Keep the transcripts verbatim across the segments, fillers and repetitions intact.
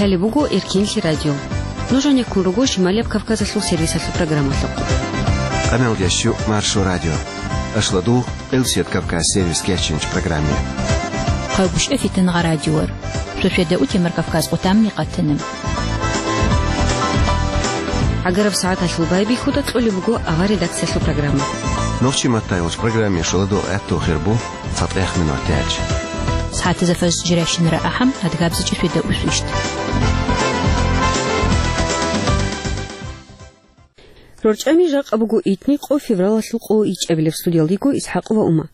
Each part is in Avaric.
Гьале буго Эркенлъи радио. Нуж гьанеккун руго Шималияб Кавказалъул сервисалъул программалъухъ. Къамелдящу Маршо радио. Ашладу Элсият Кавказ сервис кечинч программе. Хъагуш эфитан гъа радиор. Сосведа утемар Кавказ къутамни къатанам. Агараб сагӀаталъул байбихьуда кьолеб буго авар редакциялъул программа. Нохчи маттайолч программе шоладо гӀатту хирбу. ЦатӀех минут яч. СагӀатазда фаз жиращинара ахӀам, адгабзичӀи феда усвищт. РорчӀами жакъа буго итни къо февралалъул къо ичӀабилеб, студиялдиго ИсхӀакъова Ума.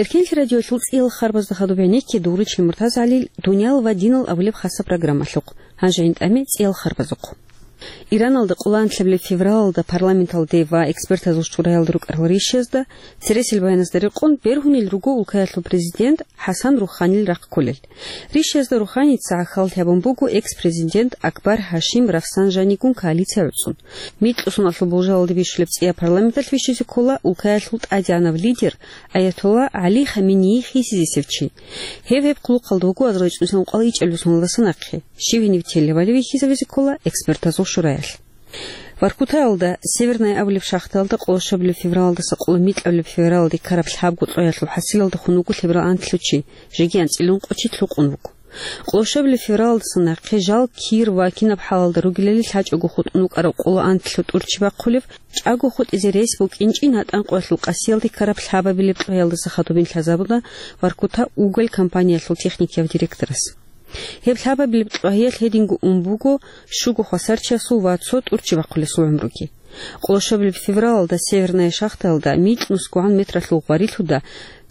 Эркенлъи радиоялъул цӀиял харбазда хадуб гӀенекке дугъричил МуртазагӀалил «Дуниял ва динал» абулеб хаса программалъухъ. Гьанже гьанитӀаме цӀиял харбазухъ. Ираналда къоло анлъабилеб февралалда парламенталде ва экспертазул шураялда рукӀарал ришазда, цересел баяназда рекъон, бергьунел руго улкаялъул президент ХӀасан Руханил рахъ кколел. Ришазда Руханица гӀахьаллъи гьабун буго экс-президент Акбар Гьашим Рафсанжанигун коалиция гӀуцӀун. Микьусуналъул болжалалде бищулеб цӀия парламенталъ вищизе ккола улкаялъул тӀадегӀанав лидер Аятолла ГӀали Хаменеи хисизесев чи. Гьеб гьеб хъулухъалда вуго азарго цӀусан кӀвал ичӀабилеб соналдаса нахъе. Щив гьенив телевали вихьизавизе ккола экспертазул шураялъ. Воркутаялда Северная абулеб шахтаялда къоло щабилеб февралалдаса къоло микьабилеб февралалде ккараб лъабго кьваялъул хӀасилалда хун вуго лъеберал анлъго чи, жеги анцӀила ункъо чи лъукъун вуго. Къоло щабилеб февралалдаса нахъе жал кир ва кинаб хӀалалда ругелали лъачӀого хутӀун вукӀараб къоло анлъго тӀур чи бахъулев, чӀаго хутӀизе рес букӀинчӀин гьатӀан къвалъул къасиялде ккараб лъабабилеб кьваялдаса хадубин лъазабуна Воркута уголь компаниялъул техникияв директорас. Гьеб лъабабилеб кьвагьиялъ гьединго ун буго щуго хвасарчиясул ва цо тӀурччи бахъулесул гӀумруги. Къоло щабилеб февралалда Северная шахтаялда микьнусгогӀан метралъул гъварилъуда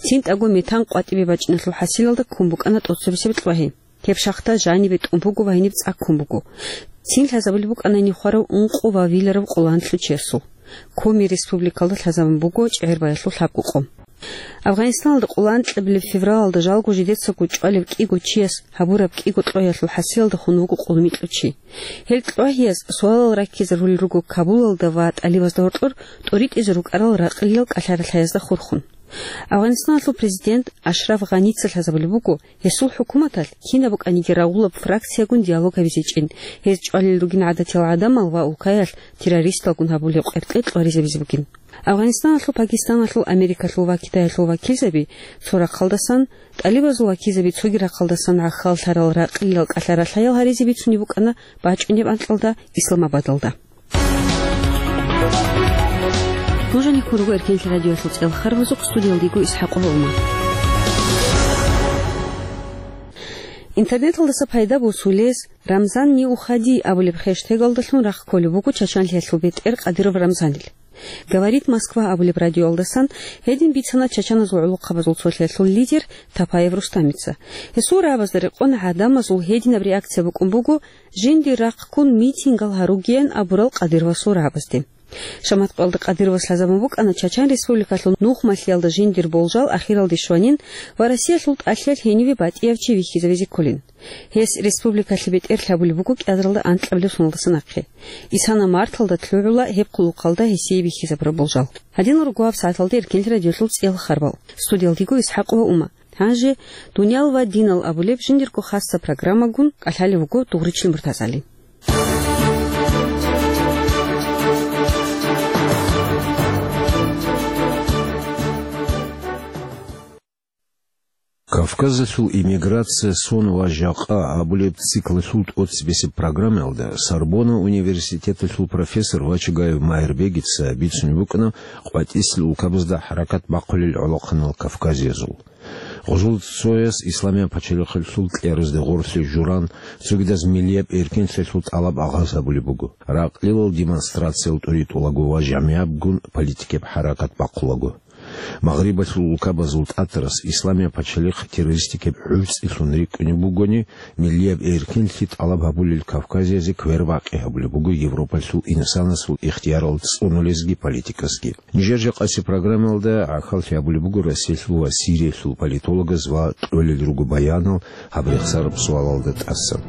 цинтӀаго метан къватӀибе бачӀиналъул хӀасилалда ккун букӀана тӀоцебесеб кьвагьи. Гьеб шахта жанибе тӀун буго ва гьениб цӀа ккун буго. Цин лъазабулеб букӀана гьениб хварав ункъо ва виларав къоло анлъго чиясул. Коми республикалда лъазабун буго чӀегӀербаялъул лъабго къо. Афганистаналда къоло анлъабилеб февралалда жалго жидецаго чӀвалев кӀиго чияс гьабураб кӀиго кьвагьиялъул хӀасилалда хун вуго къоло микьнусгогӀан чи. Гьел кьвагьияз суалал раккизарулел руго Кабулалда ва тӀалибазда гьоркьор тӀоритӀизе рукӀарал ракълиял кӀалъаралъаязда хурхун. Афганистаналъул президент Ашраф Гъаница лъазабулеб буго гьесул хӀукуматалъ кинаб букӀаниги рагъулаб фракциягун диалог гьабизечӀин, гьез чӀвалел ругин гӀадатиял гӀадамал ва улкаялъ террористалгун гьабулеб къеркье кьваризабизе бугин. Афганистаналъул, Пакистаналъул, Америкалъул ва Китаялъул вакилзаби цо рахъалдасан, тӀалибазул вакилзаби цоги рахъалдасан гӀахьаллъарал ракълиял кӀалъаралъаял гьаризе бицунеб букӀана бачӀунеб анкьалда Исламабадалда. Нуж гьанеккун руго Эркенлъи радиоялъул цӀиял харбазухъ, студиялдиго ИсхӀакъова Ума. Интернеталдаса пайда босулез «Рамзан не уходи» абулеб хештегалдалъун рахъ кколеб буго чачанлъиялъул бетӀер Кадыров Рамзанил. «Говорит Москва» абулеб радиоялдасан гьедин бицана чачаназул гӀолохъабазул цолъиялъул лидер Тапаев Рустамица. Гьесул рагӀабазда рекъон гӀадамазул гьединаб реакция букӀун буго жиндир рахъ ккун митингал гьаругеян абурал Кадыровасул рагӀабазде. Шамат къоялда Кадыровас лъазабун букӀана Чачан Республикалъул нухмалъиялда жиндир болжал ахиралде щванин ва Россиялъул тӀалъиялъ гьениве батӀияв чи вихьизавизе кколин. Гьес республикалъе бетӀер лъабулеб буго кӀиазаралда анкьабилеб соналдаса нахъе. Исана марталда лъугӀула гьеб хъулухъалда гьесие бихьизабураб болжал. Гьадинал руго гьаб сагӀаталда Эркенлъи радиоялъул цӀиял харбал. Студиялдиго ИсхӀакъова Ума. Гьанже «Дуниял ва динал» абулеб жиндирго хаса программагун кӀалъалев вуго Дугъричил МуртазагӀали. «Кавказалъул иммиграция, сон ва жакъа» абулеб циклалъул тӀоцебесеб программаялда Сорбонна университеталъул профессор Вачагаев Майрбегица бицунеб букӀана къватӀислъи улкабазда хӀаракат бахъулел гӀолохъанал кавказиязул. Гъужул цояс исламияб пачалихъалъул кьеразде гъорлъе журан, цогидаз миллияб эркенлъиялъул тӀалаб агъаз гьабулеб буго. Ракълилал демонстрациял тӀуритӀулаго ва жамигӀабгун политикияб хӀаракат бахъулаго. Магърибалъул улкабазул тӀатарас исламияб пачалихъ террористикияб гӀурцӀилъун рикӀкӀунеб бугони, миллияб эркенлъи тӀалаб гьабулел кавказиязе квербакъи гьабулеб буго Европалъул инсанасул ихтиярал цӀунулезги политикасги. Нижер жакъасеб программаялда гӀахьаллъи гьабулеб буго Россиялъул ва Сириялъул политологаз ва кьолел руго баянал гьаб рехсараб суалалда тӀасан.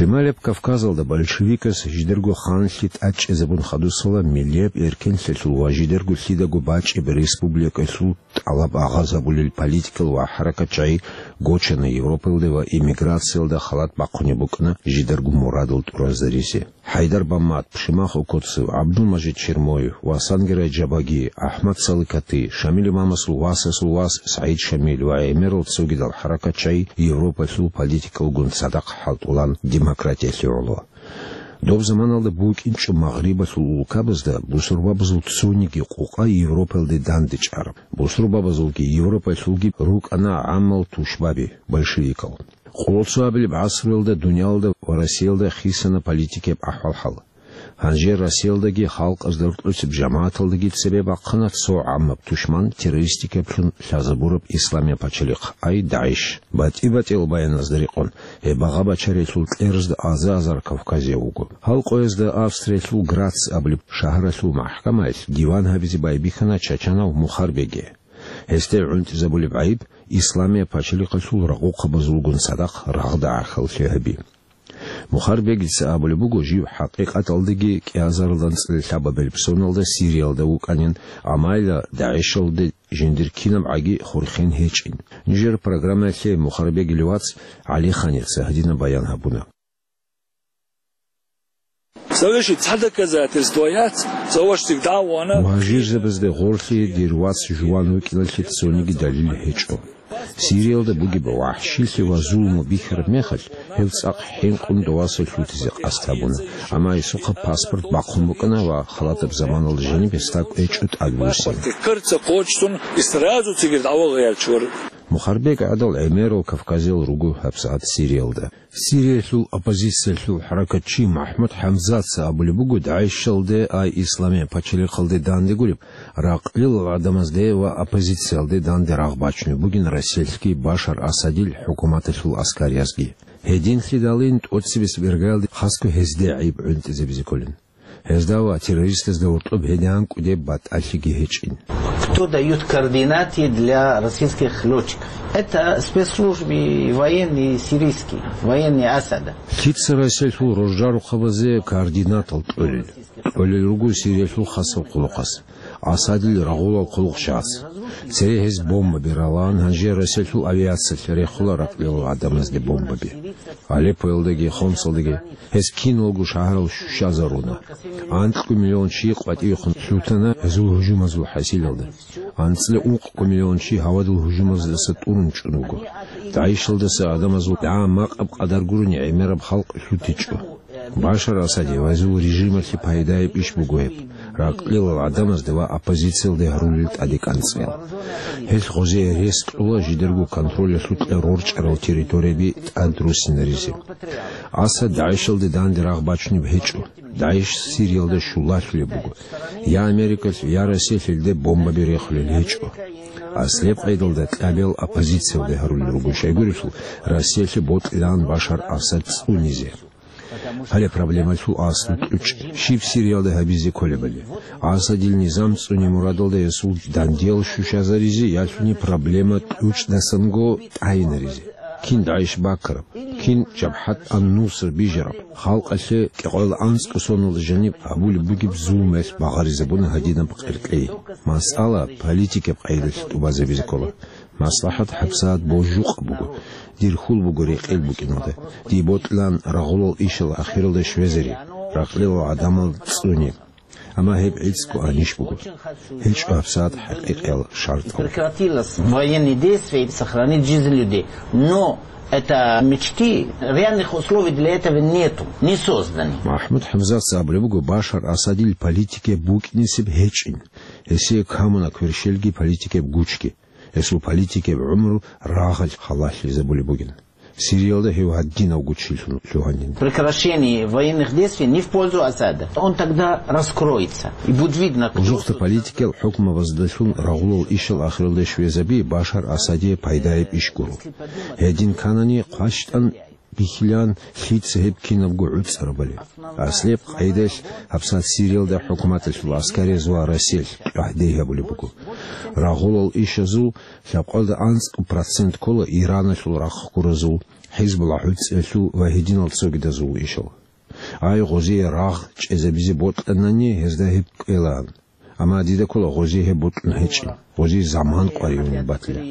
Шималияб Кавказалда большевикас жидерго ханлъи тӀадчӀезабун хадусала миллияб эркенлъиялъул ва жидерго лъидаго бачӀеб республикалъул тӀалаб агъазабулел политикал ва хӀаракатчагӀи гочана Европалде ва эмиграциялда халат бахъунеб букӀана жидерго мурадал тӀуразаризе. ХӀайдар Баммат, Пшимахов Коцев, ГӀабдулмажид Чермоев ва Сангерай Жабаги, АхӀмад Саликати, Шамил имамасул васасул вас СагӀид Шамил ва гӀемерал цогидал хӀаракатчагӀи Европалъул политикалгун цадахъ хӀалтӀулан демократиялъе гӀоло. Доб заманалда букӀинчӀо Магърибалъул улкабазда бусурбабазул цониги къукъа Европалде дандечӀараб. Бусурбабазулги Европалъулги рукӀана гӀаммал тушбаби, большевикал. Къоло цо абилеб гӀасруялда дуниялалда ва Россиялда хисана политикияб ахӀвал-хӀал. Гьанже Россиялдаги халкъазда рокьулеб жамагӀаталдаги цебе бахъана цо гӀаммаб тушман, террористикаблъун лъазабураб исламияб пачалихъ, ай ДАГӀиш. БатӀи-батӀиял баяназда рекъон, гьеб багъа-бачаралъул кьеразда аза-азар кавказияв вуго. Гьал къоязда Австриялъул Грац абулеб шагьаралъул махӀкамаялъ диван гьабизе байбихьана чачанав Мухарбеги. Гьесде гӀунтӀизабулеб гӀайиб исламияб пачалихъалъул рагъухъабазулгун цадахъ рагъда гӀахьаллъи гьаби. Мухарбегица абулеб буго, жив хӀакъикъаталдаги кӀиазарилан анцӀила лъабабилеб соналда Сириялда вукӀанин, амма ила ДАГӀишалде жиндир кинабгӀаги хурхен гьечӀин. Нижер программаялъе Мухарбегил вац ГӀалиханица гьадинаб баян гьабуна. Цавеши цхӀа доказательство яц, цаваш цигда вана. Мугьажирзабазде гъорлъи дир вац жуван вукӀиналъе цониги далил гьечӀо. Сириялда бугеб вахӀшилъи ва зулму бихьараб мехалъ, гьев цӀакъ хӀинкъун доваса лъутизе къасд гьабуна, амма гьесухъа паспорт бахъун букӀана ва халатаб заманалда жаниб гьесда кӀвечӀо тӀад Русиялде. Кырца кочтун, и сразу цигир дӀавал гъиялчур. Мухарбег гӀадал гӀемерал кавказиял руго гьабсагӀат Сириялда. Сириялъул оппозициялъул хӀаракатчи МахӀмуд ХӀамзатца абулеб буго, ДАГӀишалде, ай исламияб пачалихъалде дандегуреб, ракълилал гӀадамазде ва оппозициялде данде рагъ бачунеб бугин Россиялъги Башар Асадил хӀукуматалъул аскариязги. Гьединлъидалин тӀоцебесеб иргаялде хасго гьезде гӀайиб гӀунтӀизабизе кколин. Гьезда ва террористазда гьоркьоб гьедин кӀудеб батӀалъиги гьечӀин. Кто дают координаты для российских лётчиков? Это спецслужбы военные сирийские, военные Асада. Лъица Россиялъул роржарухъабазе координатал кьолел? Кьолел руго Сириялъул хасаб хъулухъас, Асадил рагъулал хъулухъчагӀаз. Цере гьез бомбаби ралан, гьанже Россиялъул авиациялъ рехула ракълилал гӀадамазде бомбаби. Алеппоялдаги Хомсалдаги гьез киналго шагьарал щущазаруна. Анкьго миллион чи къватӀивехун лъутана гьезул гьужумазул хӀасилалда. АнцӀила ункъго миллион чи гьавадул гьужумаздаса тӀурун чӀун вуго. ДАГӀишалдаса гӀадамазул дагӀа-макъаб къадар гурони гӀемераб халкъ лъутичӀо. Башар Асаде ва гьезул режималъе пайдаяб иш буго гьеб, ракълилал гӀадамазда ва оппозициялде гьарулел тӀаде кӀанцӀил. Гьелъ гъозие рес кьола жидерго контролялъукьа рорчӀарал территорияби тӀад руссинаризе. Асад ДАГӀИШалде данде рагъ бачунеб гьечӀо. ДАГӀИШ Сириялда щулалъулеб буго. Я Америкалъ, я Россиялъ гьелде бомбаби рехулел гьечӀо. Аслеб къайдалда кьабиял оппозициялде гьарулел руго, щайгурелъул Россиялъе бокьилаан Башар Асад цӀунизе. Гьале проблемалъул аслу кьучӀ, щиб Сириялда гьабизе кколебали. Асадил низам цӀуне мурадалда гьесул дандиял щущазаризе ялъуни проблема кьучӀдасанго тӀайинаризе. Кин ДАГӀИШ бакараб, кин Жабхат ан-Нусра бижараб, халкъалъе кӀикъоялда анцӀго соналда жаниб гьабулеб бугеб зулмуялъ багъаризабуна гьадинаб къеркьей. Масъалаялъ политикаб къайдалъ тӀубазабизе ккола. МаслахӀат гьабсагӀат божукъа буго. Дир хьул буго рекъел букӀиналда. Дие бокьилаан рагъулал ишал ахиралда щвезари, ракълилал гӀадамал цӀуни. Амма гьеб гӀицӀго анищ буго. ГьечӀо гьабсагӀат хӀакъикъиял шартӀал. Прекратилось военные действия и сохранить жизнь людей. Но это мечты, реальных условий для этого нету, не созданы. МахӀмуд ХӀамзатца абулеб буго, Башар Асадил политикаб букӀинисеб гьечӀин. Гьесие камуна кверщелги политикаб гучги. Гьесул политикаб гӀумру рагъалъ халалъизабулеб бугин. Сириялда гьев гьадинав гучилъун лъугьанин. Прекращение военных действий не в пользу Асада. Он тогда раскроется. И будет видно, кто... Узухъа политикал хӀукмабаздалъун рагъулал ишал ахиралде щвезаби Башар Асадие пайдаяб иш гуро. Гьедин кканани хъващтӀан бихьилаан лъица гьеб кинабго гӀуцӀарабали. Аслеб къайдалъ гьабсагӀат Сириялда хӀукуматалъул аскариз ва Россиялъ кьвагьде гьабулеб буго. Рагъулал ишазул лъабкъоялда анцӀго процент ккола Ираналъул рахъ гуразул, ХӀизбулла гӀуцӀиялъул ва гьединал цогидазул ишал. Ай, гъозие рагъ чӀезабизе бокьанани, гьезда гьеб кӀвелаан. Амма дида ккола гъозие гьеб бокьун гьечӀин, гъозие заман къваригӀунеб батила.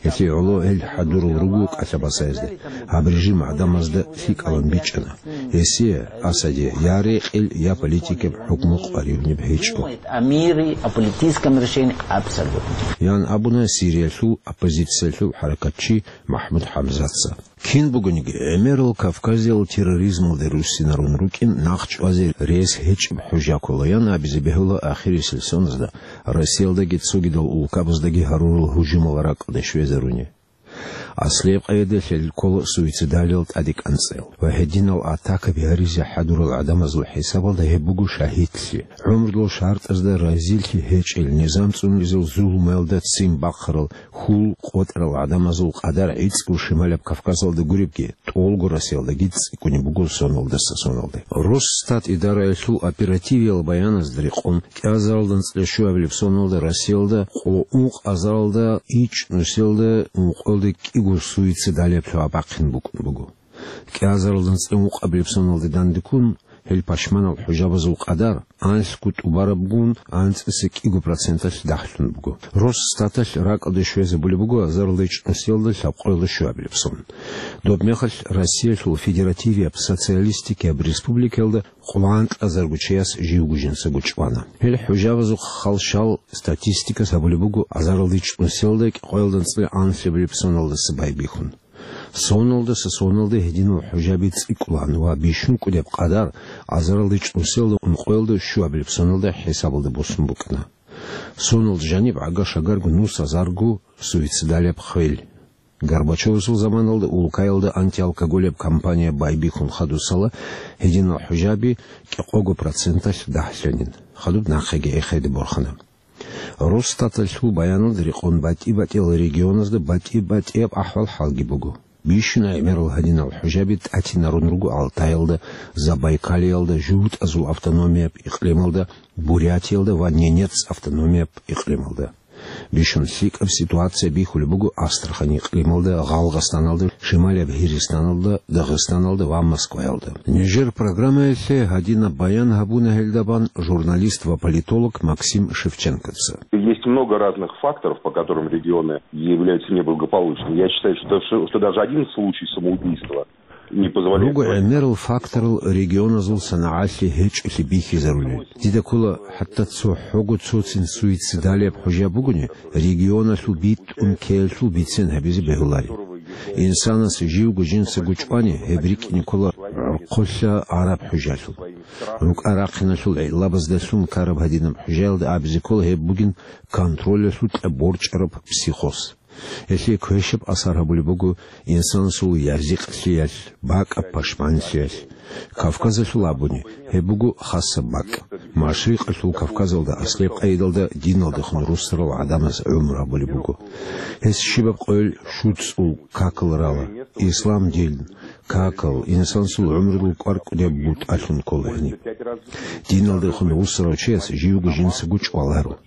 Гьелъие гӀоло гьел хӀадурал руго кӀалъа-басаязда, гьаб режим гӀадамазда лъикӀалан бичӀчӀана. Гьесие, Асаде, я рекъел, я политикаб хӀукму къваригӀунеб гьечӀо. О мире, о политическом решении абсолютно. Ян абуна Сириялъул оппозициялъул хӀаракатчи МахӀмуд ХӀамзатца. Кин бугониги, гӀемерал Кавказиял терроризмалде руссинарун рукӀин нахъ чӀвазе рес гьечӀеб хӀужа ккола, ян абизе бегьула ахирисел соназда Россиялдаги цогидал улкабаздаги гьарурал гьужумал ракӀалде щвезаруни. Аслияб къайдаялъ гьел ккола суицидалиял тӀадекӀанцӀел ва гьединал атакаби гьаризе хӀадурал гӀадамазул хӀисабалда гьеб буго шагьидлъи, гӀумрудул шартӀазда разилъи гьечӀел, низам цӀунизул зулумаялда ццин бахъарал, хьул къотӀарал гӀадамазул къадар гӀицӀго Шималаб Кавказалда гуребги, тӀолго Россиялдаги цӀикӀкӀунеб буго соналдаса соналде. Росстат идараялъул оперативиял баяназда рекъон, кӀиазаралда анцӀила щуабилеб соналда Россиялда къо ункъазаралда ичӀнусиялда ункъоялда кӀиго суицидалияб лъугьа-бахъин букӀун буго. КӀиазаралда анцӀила ункъабилеб соналде дандеккун, гьел пашманал хӀужабазул къадар анлъго тӀубарабгун анцӀила кӀиго проценталъ дагьлъун буго. Росстаталъ ракӀалде щвезабулеб буго азаралда ичӀнусиялда лъабкъоялда щуабилеб сон. Доб мехалъ Россиялъул федеративияб социалистикияб республикаялда къоло анкьазарго чияс живго жинцаго чӀвана. Гьел хӀужабазухъ хал щал статистикас гьабулеб буго азаралда ичӀнусиялда кӀикъоялда анцӀила анлъабилеб соналдаса байбихьун. Соналдаса соналде гьединал хӀужаби цӀикӀкӀулаан ва бищун кӀудеб къадар азаралда ичӀнусиялда ункъоялда щуабилеб соналда хӀисабалда босун букӀана. Соналда жаниб гӀага-шагарго нус азарго суицидалияб хвел. Горбачевасул заманалда улкаялда антиалкоголияб кампания байбихьун хадусала гьединал хӀужаби кӀикъого проценталъ дагьлъанин. Хадуб нахъеги эхеде борхана. Росстаталъул баяналда рекъон батӀи-батӀиял регионазда батӀи-батӀияб ахӀвал-хӀалги буго. Бищун гӀемерал гьадинал хӀужаби тӀатинарун руго Алтаялда, Забайкалиялда, ЖугьутӀазул автономияб икълималда, Бурятиялда ва Ненец автономияб икълималда. Бищун лъикӀаб ситуация бихьулеб буго Астрахань икълималда, Гъалгъастаналда, Шималияб Гьиристаналда, Дагъистаналда ва Москваялда. Нижер программаялъе гьадинаб баян гьабуна гьелдабан журналист ва политолог Максим Шевченкоца. Есть много разных факторов, по которым регионы являются неблагополучными. Я считаю, что, что, что даже один случай самоубийства не позволяет Руго говорить. ГӀемерал факторал регионазул санагӀалъи гьечӀолъи бихьизарулел. Дида ккола, хӀатта цо хӀого цоцин суицидалияб хӀужа бугони, регионалъул битӀун ккеялъул бицен гьабизе бегьулари. Инсанас живго жинцаго чӀвани, гьеб рикӀкӀине ккола гӀорхъолъа араб хӀужалъул. РукӀа-рахъиналъул гӀиллабаздалъун ккараб гьадинаб хӀужаялда абизе ккола гьеб бугин контролялъул кьаборчӀараб психоз. Гьелъие квешаб асар гьабулеб буго инсанасул язикълъиялъ, бакӀаб пашманлъиялъ. Кавказалъул абуни, гьеб буго хасаб бакӀ. Машрикъалъул Кавказалда аслияб къайдалда диналдехун руссарал гӀадамаз гӀумру гьабулеб буго. Гьес щибаб къойил щуцӀул какал рала, ислам дин, какал, инсанасул гӀумрудул кӀвар-кӀудияб бутӀалъун ккола гьениб. Диналдехун руссарав чияс живго жинцаго чӀваларо.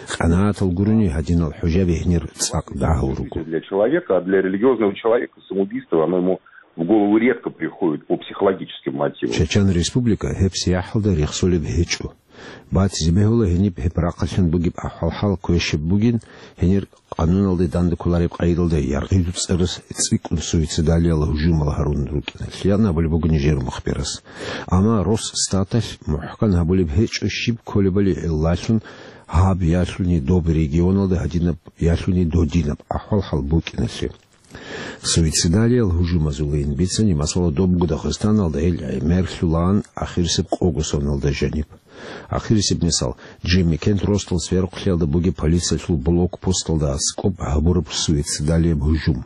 КъанагӀатал гурони гьадинал хӀужаби гьенир цӀакъ дагьал руго. Для человека, а для религиозного человека самоубийство, оно ему в голову редко приходит по психологическим мотивам. Чечен Республика гьеб сияхӀалда рехсолеб гьечӀо. Батизе бегьула гьениб гьеб рахъалъан бугеб ахӀвал-хӀал квешаб бугин, гьенир къануналде дандекколареб къайдалда яргъиду цӀарас цӀикӀкӀун суицидалиял гьужумал гьарун рукӀиналъ, ян абулеб буго нижер мухбирас. Амма Росстаталъ мухӀкан гьабулеб гьечӀо щиб кколебали гӀиллалъун гьаб ялъуни доб регионалда гьадинаб ялъуни додинаб ахӀвал-хӀал букӀиналъе. Суицидалиял гьужумазулин бицани, масала, добго Дагъистаналда гьел гӀемерлъулаан ахирисеб къого соналда жаниб. Ахирисеб мисал, Джимми Кент ростал сверухълъиялда бугеб полициялъул блокпосталда аскӀоб гьабураб суицидалияб гьужум.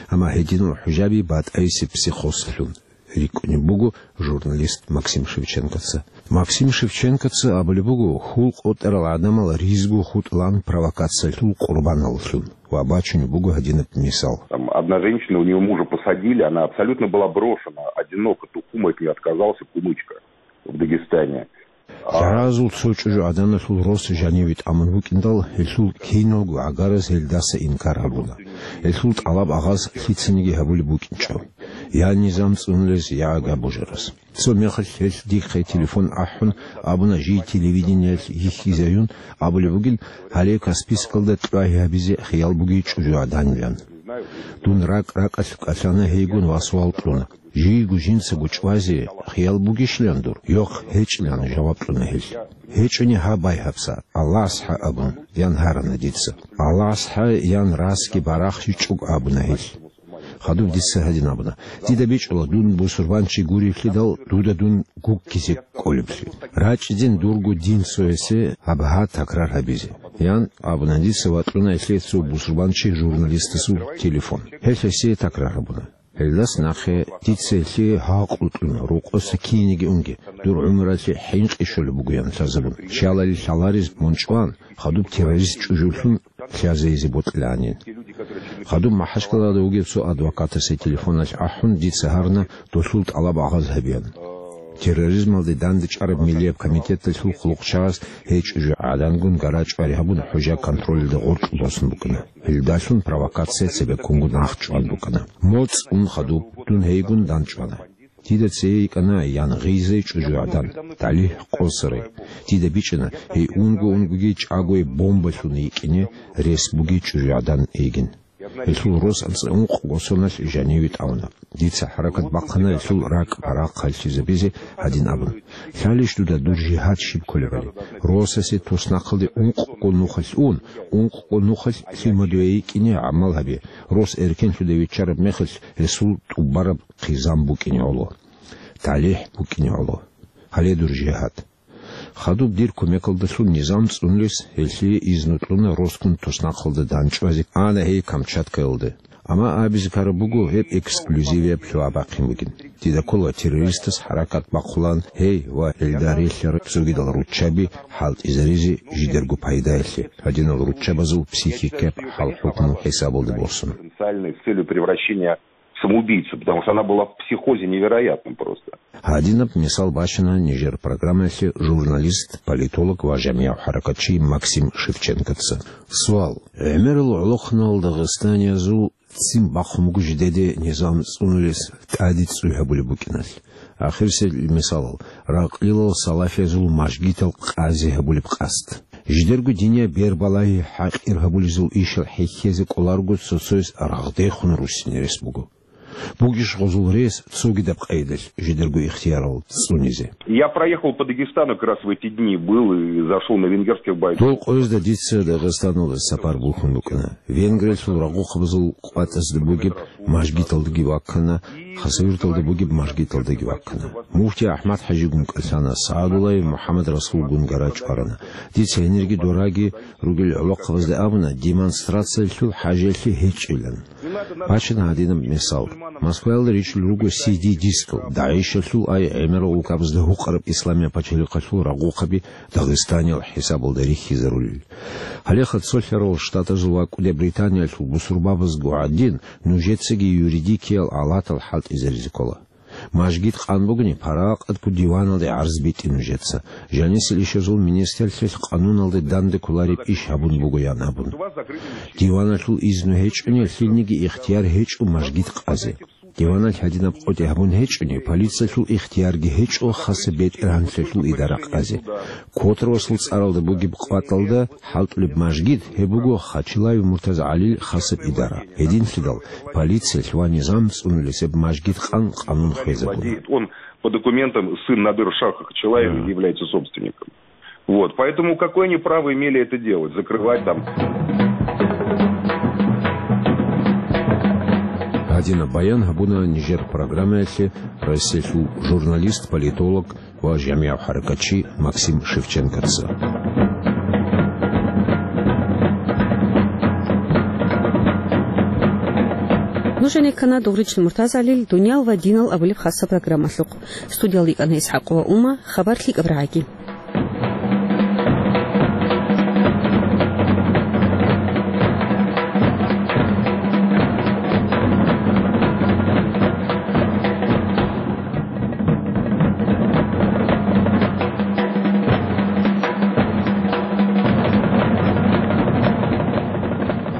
Амма гьединал хӀужаби батӀайисеб психозлъун рикӀкӀунеб буго журналист Максим Шевченкоца. Максим Шевченкоца абулеб буго, хьул къотӀарал гӀадамал ризго хутӀлан провокациялъул къурбаналлъун ва бачунеб буго гьадинаб мисал. Там одна женщина, у неё мужа посадили, она абсолютно была брошена, одинока, ту кумать не отказался, кумочка в Дагестане. ЛъагӀалазул цо чӀужугӀаданалъул рос жаниве тӀамун вукӀиндал, гьелъул киналго гӀагараз гьелдаса инкар гьабуна. Гьелъул тӀалаб агъаз лъицаниги гьабулеб букӀинчӀо. я низам цӀунулес, я ага божарас. Цо мехалъ гьелъ дихъе телефон ахӀун, абуна жий телевидениялъ йихьизаюн, абулеб бугин, гьале Каспийскалда кьвагьи гьабизе хиял бугей чӀужугӀаданилан. Дун ракӀ-ракӀалъ кӀалъана гьейгун ва суал кьуна: «Жийго жинцаго чӀвазе хиял бугищилан дур?» «Йохъ, гьечӀилан», — жаваб кьуна гьелъ. «ГьечӀони гьабай гьабса, Аллагьас хӀа абун», — ян гьарана дица. «Аллагьас хӀа», — ян расги барахщичӀого абуна гьелъ. Хадуб дица гьадин абуна: «Дида бичӀчӀула дун бусурбанчи гуриблъидал дуда дун гуккизе кӀолеблъи. РачӀидин дурго дин цоясе гьаб гьа такрар гьабизе», — ян абуна дица ва кьуна гьелъие цо бусурбанчи журналистасул телефон. Гьелъ гьесие такрар гьабуна. Гьелдас нахъе дица гьелъие гьакъу кьуна, рокъоса кинеги унги, дур гӀумралъе хӀинкъи щолеб бугоян лъазабун. Щалали лъаларез мун чӀван, хадуб террорист чӀужулъун лъазейизе бокьилаанин. Хадуб МахӀачкъалада вугев цо адвокатасе телефоналъ ахӀун, дица гьарна долъул тӀалаб агъаз гьабеян. Терроризмалде дандчӀвараб миллияб комитеталъул хъулухъчагъаз гьей чӀужугӀадангун гара чӀвари гьабун, хӀужа контролида гъоркь босун букӀана. Гьелдалъун провокация цебеккунго нахъчӀван букӀана. МоцӀ ун хадуб, дун гьейгун дандчӀвана. Дида цее йикӀана янгъизей чӀужугӀадан, ТӀалихӀ Къосарай. Дида бичӀчӀана, гьей унго-унгоги чӀагояб бомбалъун йикӀине рес бугей чӀужугӀадан йигин. Гьелъул рос анцӀа ункъго соналъ жаниве тӀамуна. Дица хӀаракат бахъана гьелъул ракӀ-парахъ хӀаллъизабизе, гьадин абун: «Лъалищ дуда дур жигьад щиб кколебали? Росасе туснахъалде ункъго нухалъ ун, ункъго нухалъ лъимадуе йикӀине гӀамал гьабе, рос эркенлъуде виччараб мехалъ гьесул тӀубараб хъизан букӀине гӀоло, талихӀ букӀине гӀоло. Гьале дур жигьад». Хадуб дир кумекалдалъун низам цӀунулес гьелъие изну кьуна росгун туснахъалда дандчӀвазе, ана гьей Камчаткаялде. Амма абизе ккараб буго гьеб эксклюзивияб лъугӀа бахъин бугин. Дида ккола террористас хӀаракат бахъулаан гьей ва гьелда релълъараб цогидал руччаби хӀалтӀизаризе жидерго пайдаялъе, гьадинал руччабазул психикияб хӀал-хӀукму хӀисабалде босун. Потенциальной с целью превращения в самоубийцу, потому что она была в психозе невероятном просто. Гьадинаб мисал бачана нижер программаялъе журналист, политолог ва жамигӀ-хӀаракатчи Максим Шевченкоца. Суал: гӀемерал гӀолохъанал дагъистаниязул ццин бахъун буго жидеде низам цӀунулес тӀаде цӀуй гьабулеб букӀиналъ. Ахирисел мисалал, ракълилал салафиязул мажгитал къазе гьабулеб къасд. Жидерго динияб бербалагьи хӀакъир гьабулезул ишал хӀехьезе кӀоларго цо-цояс рагъдехун руссине рес буго. Бугищ гъозул рес цогидаб къайдалъ жидерго ихтиярал цӀунизе? Я проехал по Дагестану как раз в эти дни, был и зашел на венгерских бойцов. Дол къоязда дица Дагъистаналда сапар бухьун букӀана. Венгриялъул рагъухъабазул къватӀазда бугеб мажгиталдаги ваккана, Хасавюрталда бугеб мажгиталдаги ваккана. Муфти АхӀмад-хӀажигун кӀалъана, СагӀадуллаев МухӀаммад-Расулгун гара чӀварана. Дица гьенирги дораги ругел гӀолохъабазда абуна, демонстрациялъул хӀажалъи гьечӀилан. Бачана гьадинаб мисал. Москваялда ричӀчӀулел руго си ди-дискал, ДАИШалъул ай гӀемерал улкабазда гьукъараб Исламияб пачалихъалъул рагъухъаби Дагъистаниял хӀисабалда рихьизарулел. Гьалеха цолъарал штатазул ва КӀуди Британиялъул бусурбабазго гӀадин, нужецаги юридикиял алатал хӀалтӀизаризе ккола. Мажгит къан бугони, паракъатго диваналде гӀарз битӀе нужеца. Жанисел ишазул министрлъилъ къануналде данде кколареб иш гьабун бугоян абун. Диваналъул изну гьечӀони, лъилниги ихтияр гьечӀо мажгит къазе. Диваналъ гьадинаб къотӀи гьабун гьечӀони, полициялъул ихтиярги гьечӀо хасаб бетӀергьанлъиялъул идара къазе. Котравасул цӀаралда бугеб къватӀалда хӀалтӀулеб мажгит, гьеб буго Хачилаев МуртазагӀалил хасаб идара. Гьединлъидал полициялъ ва низам цӀунулес гьеб мажгит къан къанун хвезабуна. Он по документам сын Надыр Шаха Хачилаева является собственником. Вот, поэтому какое они право имели это делать, закрывать там? Гьадинаб баян гьабуна нижер программаялъе Россиялъул журналист, политолог ва жамигӀ-хӀаракатчи Максим Шевченкоца. Нужеца ккана Дугъричил МуртазагӀалил «Дуниял ва динал» абулеб хасаб программалъухъ. Студиялда йикӀана ИсхӀакъова Ума, хабар лъикӀаб рагӀаги.